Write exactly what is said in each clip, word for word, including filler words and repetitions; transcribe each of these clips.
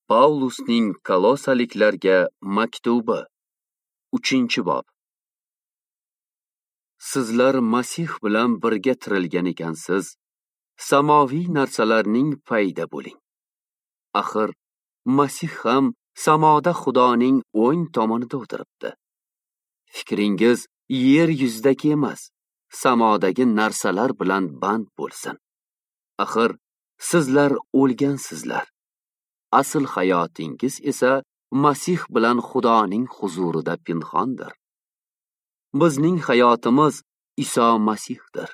Paulusning Kolosaliklarga maktubi, uchinchi bob. Sizlar Masih bilan birga tirilgan ekansiz, samoviy narsalarning payida bo'ling. Axir Masih ham samoda Xudoning o'ng tomonida o'tiribdi. Fikringiz yer yuzidagi emas, samodagi narsalar bilan band bo'lsin. Axir sizlar o'lgansizlar. Asl hayotingiz esa Masih bilan Xudoning huzurida pinhondir. Bizning hayotimiz Iso Masihdir.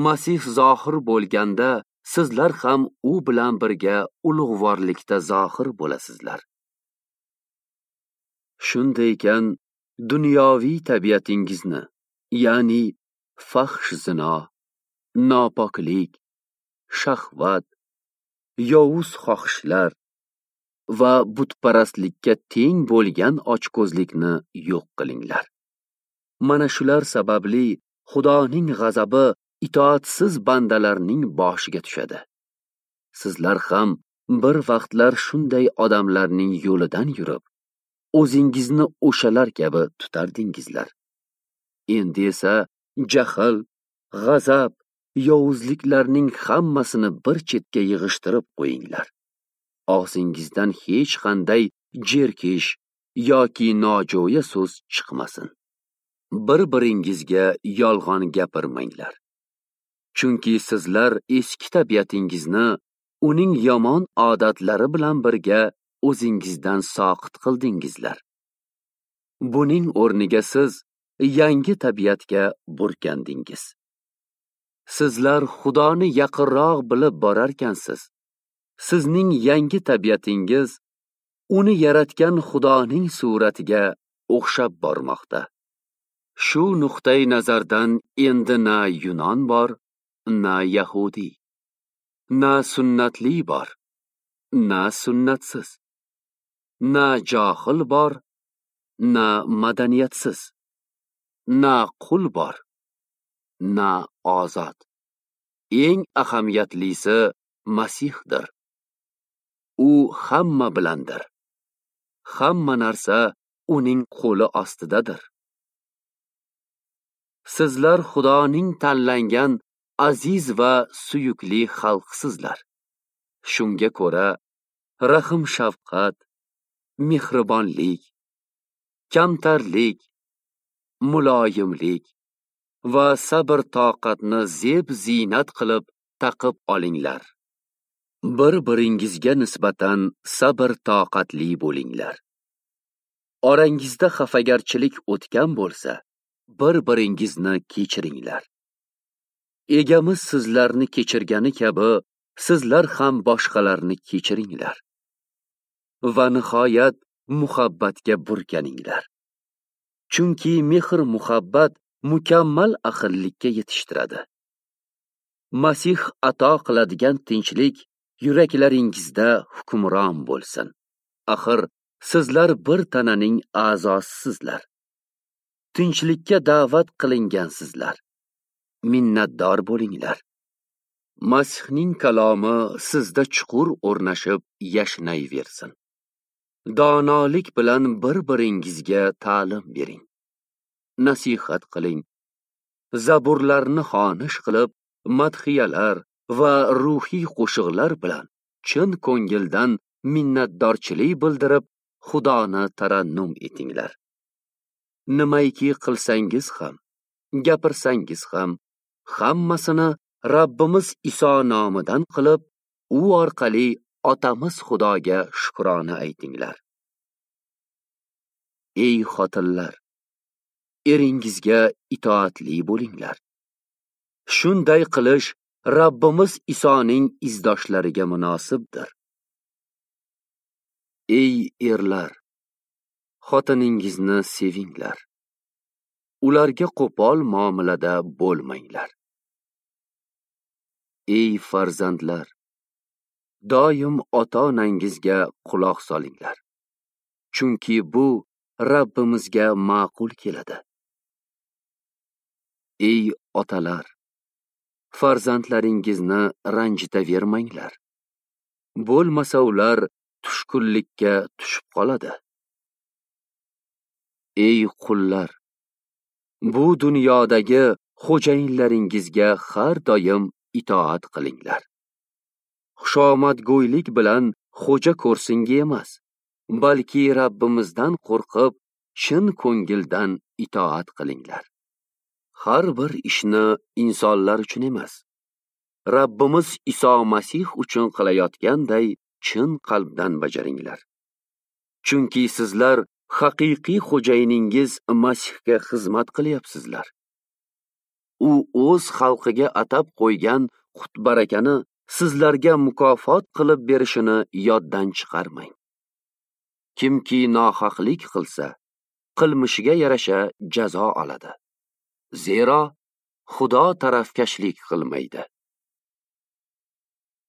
Masih zohir bo'lganda sizlar ham u bilan birga ulug'vorlikda zohir bo'lasizlar. Shunday ekan, dunyoviy tabiatingizni, ya'ni fahsh zino, nopoklik, shahvat, yovuz xohishlar va butparastlikka teng bo'lgan ochko'zlikni yo'q qilinglar. Mana shular sababli Xudoning g'azabi itoatsiz bandalarning boshiga tushadi. Sizlar ham bir vaqtlar shunday odamlarning yo'lidan yurib, o'zingizni o'shalar kabi tutardingizlar. Endi esa jahl, g'azab, yovuzliklarning hammasini bir chetga yig'ishtirib qo'yinglar. Og'zingizdan hech qanday jerkish yoki nojo'ya so'z chiqmasin. Bir-biringizga yolg'on gapirmanglar. Chunki sizlar eski tabiatingizni uning yomon odatlari bilan birga o'zingizdan soqit qildingizlar. Buning o'rniga siz yangi tabiatga burkandingiz. Sizlar Xudoni yaqinroq bilib borarkansiz, sizning yangi tabiatingiz uni yaratgan Xudoning suratiga o'xshab bormoqda. Shu nuqtai nazardan endi na Yunon bor, na Yahudi, na sunnatli bor, na sunnatsiz, na johil bor, na madaniyatsiz, na qul bor, na ozod. Eng ahamiyatlisi Masihdir. U hamma bilandir. Hamma narsa uning qo'li ostidadir. Sizlar Xudoning tanlangan aziz va suyukli xalqsizlar. Shunga ko'ra rahm-shafqat, mehribonlik, kamtarlik, muloyimlik va sabr-toqatni zeb-ziynat qilib taqib olinglar. Bir-biringizga nisbatan sabr-toqatli bo'linglar. Orangizda xafagarchilik o'tgan bo'lsa, bir-biringizni kechiringlar. Egamiz sizlarni kechirgani kabi, sizlar ham boshqalarni kechiringlar. Va nihoyat muhabbatga burkaninglar. Chunki mehr-muhabbat mukammal ahillikka yetishtiradi. Masih ato qiladigan tinchlik yuraklaringizda hukmron bo'lsin. Axir sizlar bir tananing a'zosisizlar. Tinchlikka da'vat qilingansizlar. Minnatdor bo'linglar. Masihning kalomi sizda chuqur o'rnashib yashnayversin. Donolik bilan bir-biringizga ta'lim bering. Nasihat qiling. Zaburlarni xonish qilib, madhiyalar va ruhiy qo'shiqlar bilan chin ko'ngildan minnatdorchilik bildirib, Xudoni tarannum etinglar. Nimaiki qilsangiz ham, gapirsangiz ham, hammasini Rabbimiz Iso nomidan qilib, u orqali Otamiz Xudoga shukrona aytinglar. Ey xotinlar, eringizga itoatli bo'linglar. Shunday qilish Rabbimiz Isoning izdoshlariga munosibdir. Ey erlar, xotiningizni sevinglar. Ularga qo'pol muomalada bo'lmanglar. Ey farzandlar, doim ota-onangizga quloq solinglar. Chunki bu Rabbimizga ma'qul keladi. Ey otalar, farzandlaringizni ranjitavermanglar. Bo'lmasa ular tushkunlikka tushib qoladi. Ey qullar, bu dunyodagi xo'jayinlaringizga har doim itoat qilinglar. Xushomadgo'ylik bilan xo'ja ko'rsinga emas, balki Rabbimizdan qo'rqib, chin ko'ngildan itoat qilinglar. Har bir ishni insonlar uchun emas, Rabbimiz Iso Masih uchun qilayotganday chin qalbdan bajaringlar. Chunki sizlar haqiqiy xo'jayiningiz Masihga xizmat qilyapsizlar. U o'z xalqiga atab qo'ygan qut-barakani sizlarga mukofot qilib berishini yoddan chiqarmang. Kimki nohaqlik qilsa, qilmishiga yarasha jazo oladi. Zero Xudo tarafkashlik qilmaydi.